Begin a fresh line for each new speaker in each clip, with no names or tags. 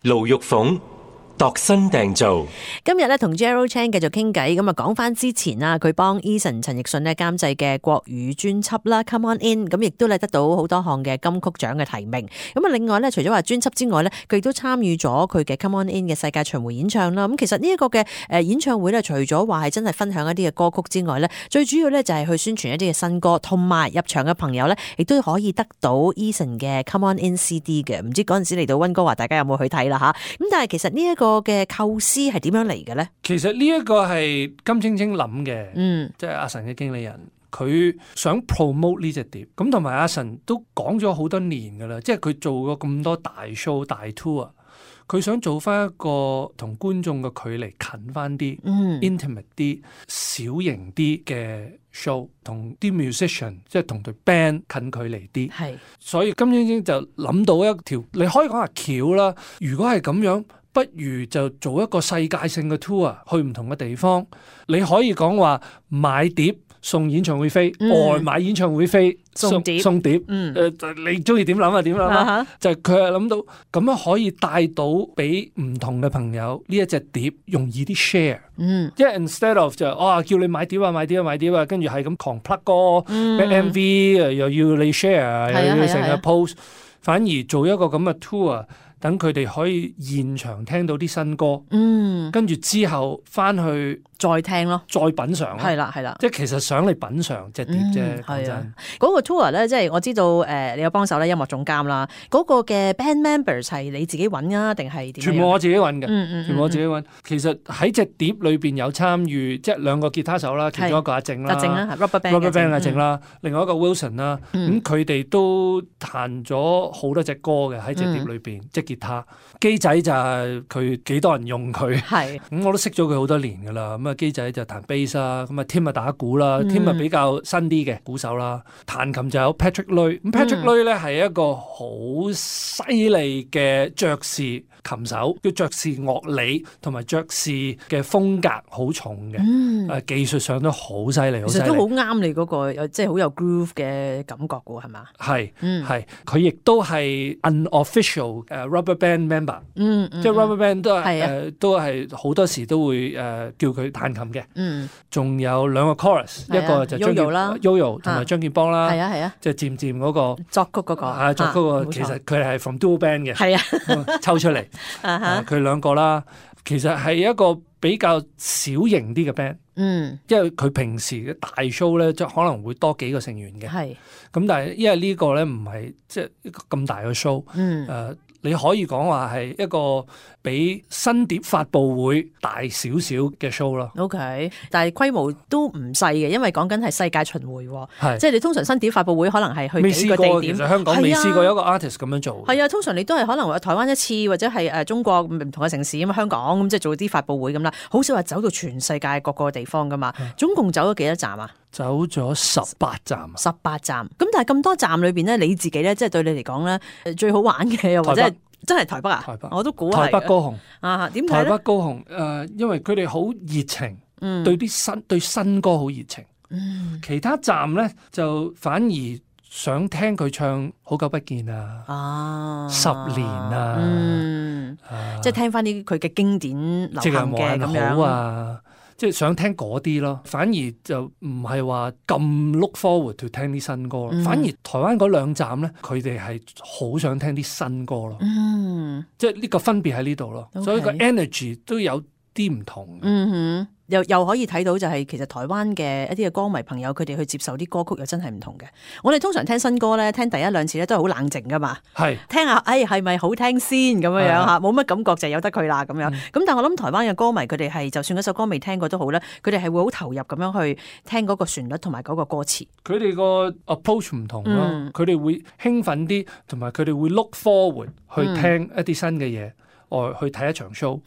盧玉鳳度身訂造，
今日咧同 Gerald Chan 繼續傾偈，咁啊講翻之前啊，佢幫 Eason 陳奕迅咧監製嘅國語專輯啦 Come On In， 咁亦都咧得到好多項嘅金曲獎嘅提名。咁啊另外咧，除咗話專輯之外咧，佢亦都參與咗佢嘅 Come On In 嘅世界巡迴演唱啦。咁其實呢一個嘅演唱會咧，除咗話係真係分享一啲嘅歌曲之外咧，最主要咧就係去宣傳一啲嘅新歌，同埋入場嘅朋友咧，亦都可以得到 Eason 嘅 Come On In CD 嘅。唔知嗰陣時嚟到溫哥華，大家有冇去睇啦吓？咁但係其實呢一個嘅構思係點樣嚟嘅咧？
其實呢一個係金青青諗嘅，即係阿神嘅經理人，佢想 promote 呢隻碟，咁同埋阿神都講咗好多年噶啦，即係佢做過咁多大 show 大 tour，佢想做翻一個同觀眾嘅距離近翻啲，intimate 啲、小型啲嘅 show，同啲 musician 即係同隊 band 近距離啲，係，所以金青青就諗到一條，你可以講下橋啦。如果係咁樣，不如就做一個世界性嘅 tour， 去唔同嘅地方。你可以講話買碟送演唱會飛，外買演唱會飛送碟。你中意點諗啊？點諗啊？就係佢係諗到咁樣可以帶到俾唔同嘅朋友呢一隻碟容易啲 share。即係 instead of 就叫你買碟啊，跟住係咁狂 plug 歌，MV 又要你 share，又要成日 post，反而做一個咁嘅 tour。等佢哋可以現場聽到啲新歌，跟住之後翻去
再聽咯，
再品嚐咯，係啦，即係其實想你品嚐隻碟啫。講真，
嗰個 tour 咧，即係我知道你有幫手咧，音樂總監啦，嗰個嘅 band members 係你自己揾啊，定係點？
全部我自己揾嘅，全部我自己揾。其實喺隻碟裏邊有參與，即係兩個吉他手啦，其中一個阿靜啦
，Rubber Band
阿靜啦，另外一個 Wilson 啦，咁佢哋都彈咗好多隻歌嘅喺隻碟裏邊，即吉他機仔就係佢幾多人用佢，咁我都識咗佢好多年噶啦。咁啊機仔就彈 bass 啦，咁啊 Tim 啊打鼓啦，Tim 啊比較新啲嘅鼓手啦。彈琴就有 Patrick Lui， 咁 Patrick Lui 咧係一個好犀利嘅爵士琴手，叫爵士樂理同埋爵士嘅風格好重嘅，技術上都好犀利，
其實都好啱你嗰個即係好有 groove 嘅感覺嘅係嘛？
係，佢亦都係 unofficial Rubber Band member，即係 Rubber Band 都係好多時都會叫佢彈琴嘅。仲有兩個 chorus，一個就張健 Yoyo 同埋張健邦啦，即係漸漸嗰個
作曲嗰個，
作曲個其實佢係 from duo band 嘅，抽出嚟佢兩個啦。其實係一個比較小型啲嘅 band，因為佢平時嘅大 show 咧，即係可能會多幾個成員嘅，咁但係因為呢個咧唔係即係一個咁大嘅 show，你可以講話係一個比新碟發佈會大少少嘅 show 咯。
OK， 但係規模都唔細嘅，因為講緊係世界巡迴，即係你通常新碟發佈會可能係去幾個地點。
其實香港未試過有一個 artist 咁樣做。
係啊，通常你都係可能話台灣一次，或者係中國唔同嘅城市咁，香港咁即係做啲發佈會咁啦，好少話走到全世界各個地方噶嘛。總共走咗幾多站啊？
走咗18站。
18站。咁但係咁多站裏邊咧，你自己咧，即係對你嚟講咧，最好玩嘅又或者真係台北啊？
台北，
我都估
係台北高雄
啊？點睇
台北高雄因為佢哋好熱情，對新歌好熱情。其他站咧就反而想聽佢唱《好久不見》啊，10年啊，
即係聽翻啲佢嘅經典流行嘅咁樣啊。
即係想聽嗰啲咯，反而就唔係話咁 look forward to 聽啲新歌，反而台灣嗰兩站咧，佢哋係好想聽啲新歌咯。即係呢個分別喺呢度咯，所以個 energy 都有啲唔同。
又可以睇到就係其實台灣嘅一啲嘅歌迷朋友，佢哋去接受啲歌曲又真係唔同嘅。我哋通常聽新歌咧，聽第一兩次咧都係好冷靜噶嘛，聽下係咪好聽先咁樣樣嚇，冇乜感覺就由得佢啦咁樣。咁但係我諗台灣嘅歌迷佢哋係就算嗰首歌未聽過都好咧，佢哋係會好投入咁樣去聽嗰個旋律同埋嗰個歌詞。佢
哋個 approach 唔同咯，佢哋會興奮啲，同埋佢哋會 look forward 去聽一啲新嘅嘢。去睇一場 show，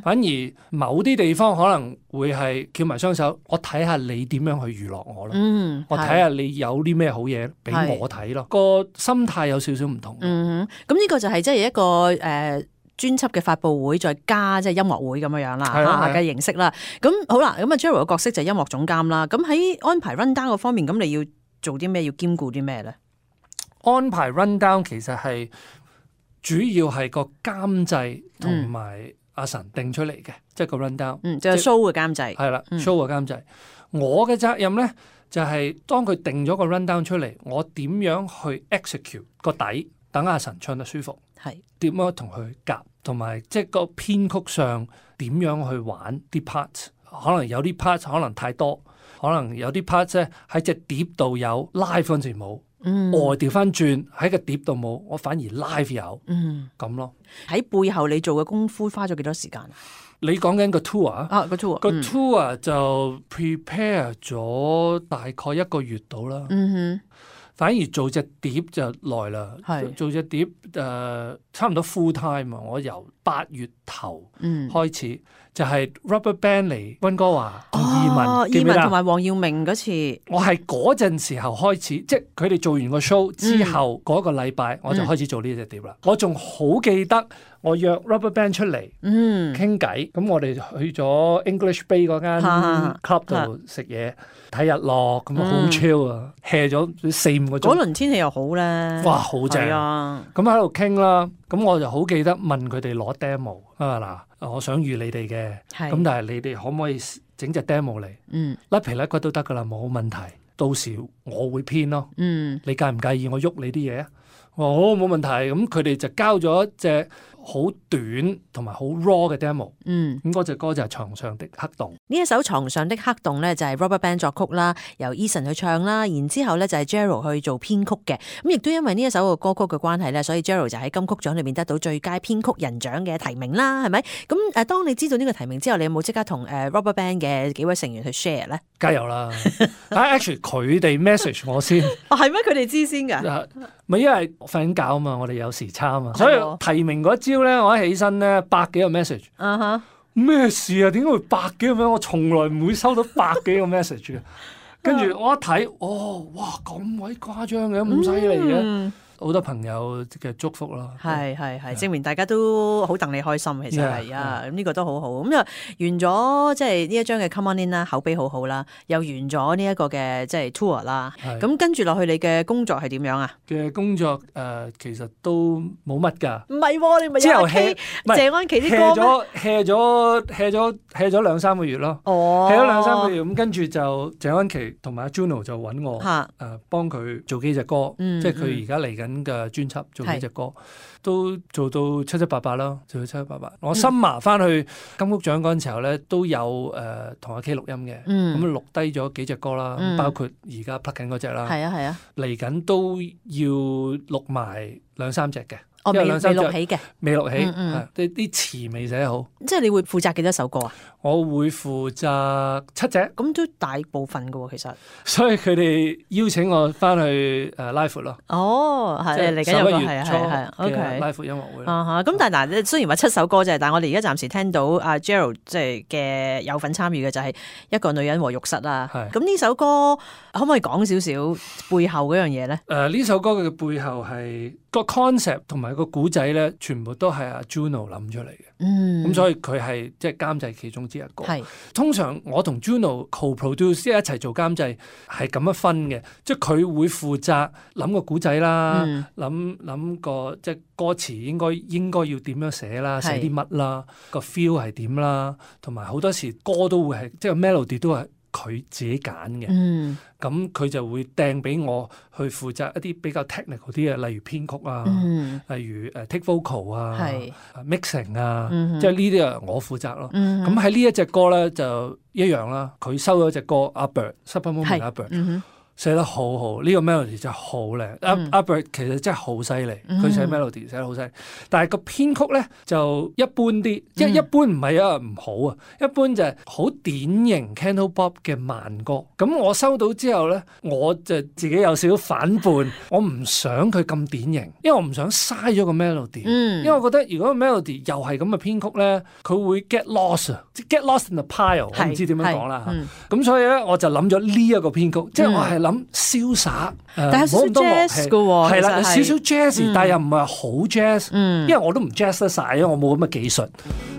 反而某啲地方可能會係翹埋雙手，我睇下你點樣去娛樂我咯，我睇下你有啲咩好嘢俾我睇咯，個心態有少少唔同。
咁呢個就係即係一個專輯嘅發佈會，再加即係音樂會咁樣樣啦嘅形式啦。咁好啦，咁啊 Gerald 嘅角色就係音樂總監啦。咁喺安排 run down 嗰方面，咁你要做啲咩？要兼顧啲咩咧？
安排 run down 其實係主要係個監製同埋阿神定出嚟嘅，即係個 rundown，
就係 show 嘅監製，
係啦，show 嘅監製。我嘅責任咧就係當佢定咗個 rundown 出嚟，我點樣去 execute 個底，等阿神唱得舒服，
係
點樣同佢夾，同埋即係個編曲上點樣去玩啲 part， 可能有啲 part 可能太多，可能有啲 part 咧喺隻碟度有 live 嗰陣時冇。我調翻轉喺個碟度冇，我反而 live 有，咁咯。
喺背後你做嘅功夫花咗幾多時間？
你講緊個 tour
啊，個 tour
個 tour 就 prepare 咗大概1個月到啦。反而做隻碟就耐啦，做隻碟差唔多 full time 啊！我由8月頭開始，就係 Rubberband 嚟溫哥華同
義文同埋黃耀明嗰次，
我係嗰陣時候開始，即係佢哋做完個 show 之後嗰個禮拜，我就開始做呢隻碟啦。我仲好記得我約 Rubberband 出嚟傾偈，咁我哋去咗 English Bay 嗰間 club 度食嘢。睇日落咁好 chill 啊 ，hea 咗4-5個鐘。
嗰輪天氣又好咧，
哇，好正啊！咁喺度傾啦，咁我就好記得問佢哋攞 demo 啊嗱，我想預你哋嘅，咁但係你哋可唔可以整隻 demo 嚟？甩皮甩骨都得噶啦，冇問題。到時我會編咯，你介唔介意我喐你啲嘢啊？我話好，冇問題。咁佢哋就交咗一隻好短同埋好 raw 嘅 demo， 咁嗰隻歌就係床上的黑洞。
呢一首床上的黑洞咧就係 Rubberband 作曲啦，由 Eason 去唱啦，然之後咧就係 Gerald 去做編曲嘅。咁亦都因為呢一首嘅歌曲嘅關係咧，所以 Gerald 就喺金曲獎裏面得到最佳編曲人獎嘅提名啦，係咪？咁當你知道呢個提名之後，你有冇即刻同Rubberband 嘅幾位成員去 share 咧？
加油啦！Actually 佢哋 message 我先，
係咩？佢哋知先㗎？
咪因為瞓緊覺啊嘛，我哋有時差啊嘛，所以提名嗰朝咧，我一起身咧100幾個 message，咩事啊？點解會100幾個 message？我從來唔會收到100幾個 message 嘅。跟住我一睇，哇咁鬼誇張嘅，咁犀利嘅。好多朋友嘅祝福咯，
係證明大家都好戥你開心，其實係啊，咁呢個都好好。咁就完咗即係呢一張嘅 Come On In 啦，口碑好好啦，又完咗呢一個嘅即係 tour 啦。咁跟住落去你嘅工作係點樣啊？
嘅工作其實都冇乜㗎。
唔係喎，你咪之後 hea 謝安琪啲歌咩？hea
咗2-3個月咯。hea 咗2-3個月，咁跟住就謝安琪同埋阿 Juno 就揾我幫佢做幾隻歌，即係佢而家嚟緊嘅專輯做幾隻歌，都做到7-8啦，做到7-8。我新麻翻去金曲獎嗰陣時候咧，都有同阿 K 錄音嘅，咁錄低咗幾隻歌啦，包括而家 plug 緊嗰隻啦，嚟緊都要錄埋2-3隻嘅。
未錄起嘅，
未錄起，啲詞未寫好。
即係你會負責幾多首歌啊？
我會負責7隻，
咁都大部分㗎喎，其實。所
以佢哋邀請我翻去live 咯。
係嚟緊有個係 OK
live 音樂會。
咁但係嗱，雖然話7首歌啫，但係我哋而家暫時聽到阿 Gerald 即係嘅有份參與嘅就係一個女人和浴室啦。咁呢首歌可唔可以講少少背後嗰樣嘢咧？
呢首歌嘅背後係個 concept 同埋個古仔咧，全部都係阿 Juno 諗出嚟嘅。咁所以佢係即係監製其中之一個。通常我同 Juno co-produce 即係一齊做監製係咁樣分嘅，即係佢會負責諗個古仔啦，諗個即係歌詞應該要點樣寫啦，寫啲乜啦，個 feel 係點啦，同埋好多時歌都會係即係 melody 都係佢自己揀嘅。咁佢就會掟俾我去負責一啲比較 technical 啲嘅，例如編曲啊，例如take vocal 啊，mixing 啊，即係呢啲啊我負責咯。咁喺呢一隻歌咧就一樣啦，佢收咗隻歌阿 Bird，Super Moment 阿 Bird。寫得好好，呢個 melody 真係好靚。阿 Bird 其實真係好犀利，佢寫 melody 寫得好犀利。但係個編曲咧就一般啲，即係一般唔係因為唔好啊，一般就係好典型 Cantopop 嘅慢歌。咁我收到之後咧，我就自己有少少反叛，我唔想佢咁典型，因為我唔想嘥咗個 melody。因為我覺得如果個 melody 又係咁嘅編曲咧，佢會 get lost，get lost in the pile。我唔知點樣講啦嚇。咁所以咧，我就諗咗呢一個編曲，即係我係諗瀟灑，
但係少少 jazz 嘅喎，
係啦，有少少 jazz，但係又唔係好 jazz，因為我都唔 jazz 得晒，因為我冇咁嘅技術。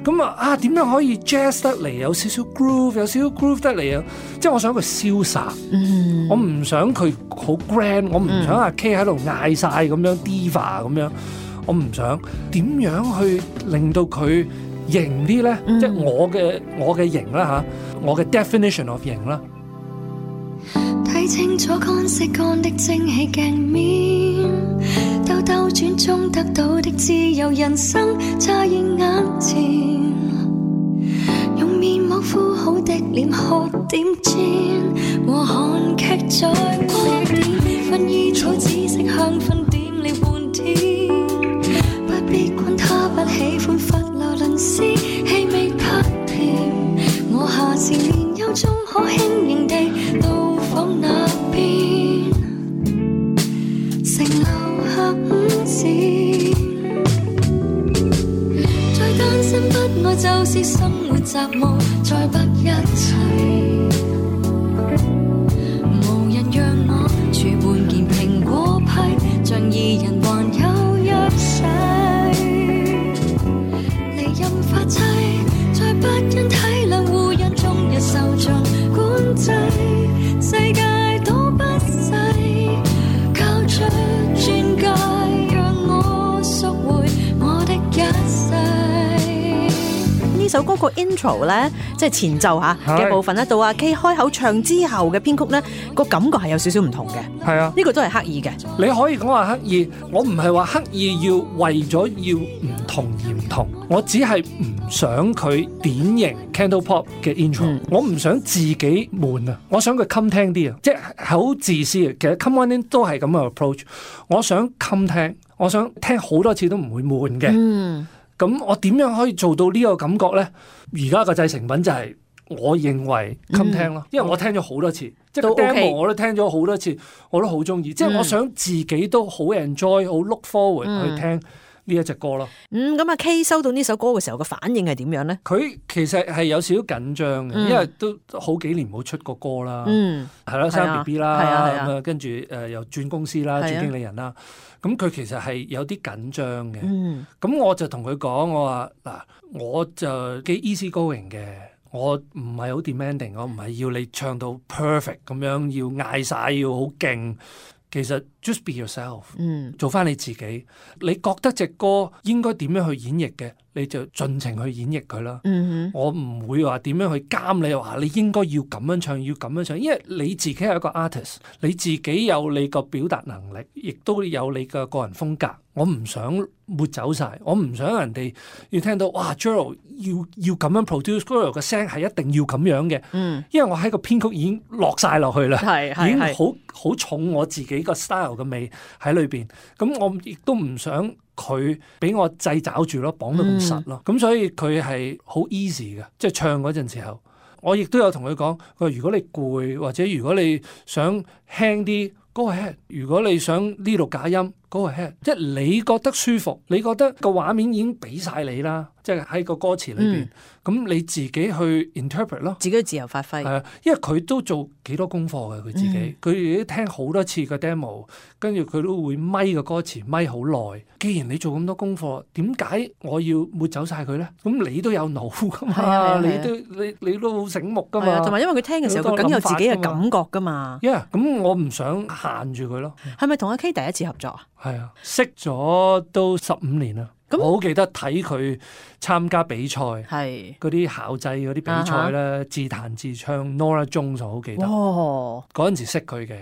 咁點樣可以 jazz 得嚟有少少 groove， 有少少 groove 得嚟啊？即係我想佢瀟灑，我唔想佢好 grand， 我唔想阿 K 喺度嗌晒咁樣 diva 咁樣。我唔想點樣去令到佢型啲咧？即係我嘅型啦嚇，我嘅 definition of 型啦。
睇清楚乾色乾的蒸汽鏡面，兜兜轉中得到的自由人生乍現眼前，用面膜敷好的臉喝點煎，和韓劇在播點，薰衣草紫色香薰點了半天，不必管他不喜歡佛羅倫斯氣味拍甜，我下次年幼中可輕盈地到訪那邊，城樓下午膳，再單身不愛就是生活雜務，再不一齊，無人讓我儲半件蘋果批，像二人還有約誓，離任發妻，再不因體諒互讓終日受盡管制，世界都不細，靠着鑽戒讓我贖回我的一世。
呢首歌個 intro 咧，即係前奏嚇嘅部分咧，到阿 K 開口唱之後嘅編曲咧，個感覺係有少少唔同嘅。
係啊，
呢個都係刻意嘅。
你可以講話刻意，我唔係話刻意要為咗要唔同而唔同，我只係唔想佢典型 Candle Pop 嘅 intro，我唔想自己悶啊，我想佢襟聽啲啊，即係好自私嘅。其實 Come On In 都係咁嘅 approach， 我想襟聽，我想聽好多次都唔會悶嘅。咁我點樣可以做到呢個感覺咧？而家個製成品就係我認為襟聽咯，因為我聽咗好多次，即係 demo 我都聽咗好多次，我都好中意。即係我想自己都好 enjoy， 好 look forward 去聽呢一隻歌咯。
咁阿 K 收到呢首歌嘅時候，個反應係點樣咧？
佢其實係有少少緊張嘅，因為都好幾年冇出過歌啦，係啦，生 B B 啦，咁啊跟住又轉公司啦，轉經理人啦。咁佢其實係有啲緊張嘅，咁我就同佢講，我話嗱，我就幾 easy going 嘅，我唔係好 demanding， 我唔係要你唱到 perfect 咁樣，要嗌晒，要好勁。其實 just be yourself，做翻你自己。你覺得隻歌應該點樣去演繹嘅，你就盡情去演繹佢啦。我唔會話點樣去監你，話你應該要咁樣唱，要咁樣唱，因為你自己係一個 artist， 你自己有你個表達能力，亦都有你嘅個人風格。我唔想抹走晒，我唔想人哋要聽到哇 Gerald 要咁樣 produce，Gerald 嘅聲係一定要咁樣嘅。因為我喺個編曲已經落晒落去啦，已經好重我自己個 style 嘅味喺裏邊。咁我亦都唔想佢俾我掣肘住咯，綁到咁實咯。咁所以佢係好 easy 嘅，即係唱嗰陣時候，我亦都有同佢講，如果你攰或者如果你想輕啲，go ahead。如果你想呢度假音，go ahead。即係你覺得舒服，你覺得個畫面已經俾晒你啦，即係喺個歌詞裏邊，咁你自己去 interpret 咯，
自己自由發揮。
係啊，因為佢都做幾多功課嘅，佢自己，佢都聽好多次個 demo， 跟住佢都會咪個歌詞咪好耐。既然你做咁多功課，點解我要抹走晒佢咧？咁你都有腦噶嘛，你都好醒目噶嘛。同
埋因為佢聽嘅時候，佢梗有自己嘅感覺噶嘛。
咁我唔想限住佢咯。
係咪同阿 K 第一次合作啊？
係啊，識咗都15年啦。我好記得睇佢參加比賽，嗰啲校際嗰啲比賽咧，自彈自唱 Nora Jones 我好記得。嗰陣時識佢嘅。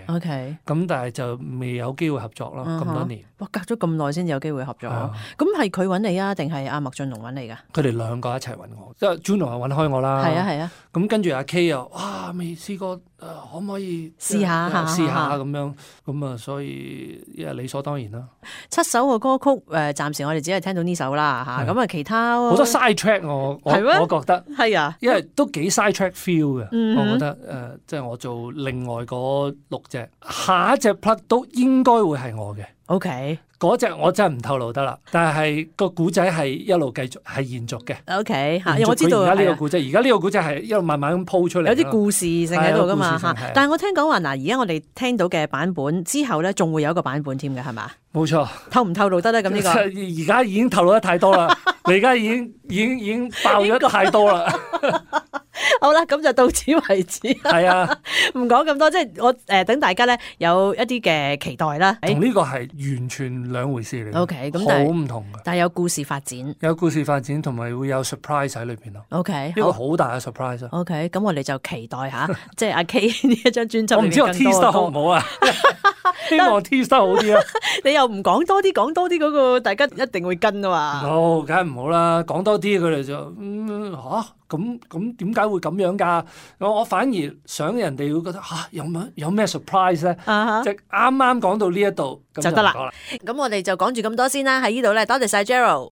咁但係就未有機會合作咯，咁多年。
哇，隔咗咁耐先有機會合作。咁係佢揾你啊，定係阿麥浚龍揾你㗎？
佢哋兩個一齊揾我，即係 Juno 又揾開我啦。係啊。咁跟住阿 K 又哇未試過，可唔可以
試下
咁樣？咁啊，所以因為理所當然啦。
7首嘅歌曲，暫時我哋只係聽到呢首啦嚇。咁啊，其他
好多 side track 我覺得
係啊，
因為都幾 side track feel 嘅。我覺得即係我做另外嗰6隻，下一隻 plug 都應該會係我嘅。
OK，
嗰隻我真係唔透露得啦，但係個古仔係一路繼續係延續嘅。
OK，我知道
而家呢個古仔，而家呢個古仔係一路慢慢咁鋪出嚟，
有啲故事性喺度噶嘛。但係我聽講話嗱，而家我哋聽到嘅版本之後咧，仲會有一個版本添嘅，係嘛？
冇錯。
透唔透露得咧？咁呢個
而家已經透露得太多啦，你而家已經爆咗太多啦。
好啦，咁就到此為止。
係啊，
唔講咁多，即係我等大家咧有一啲嘅期待啦。
同呢個係完全兩回事嚟。
OK， 咁但係
好唔同嘅，
但係有故事發展，
有故事發展，同埋會有 surprise 喺裏邊咯。
OK，
一個好大嘅 surprise。OK，
咁我哋就期待下，即係阿 K 呢一張專輯。
我唔知我 tease 得好唔好啊？希望 tease 得好啲啊！
你又唔講多啲，講多啲嗰個，大家一定會跟啊嘛。
哦，梗係唔好啦，講多啲佢哋就咁點解會咁樣㗎？我反而想人哋會覺得有咩 surprise 咧？即係啱啱講到呢一度
就得啦。咁我哋就講住咁多先啦，喺呢度咧，多謝晒 Gerald。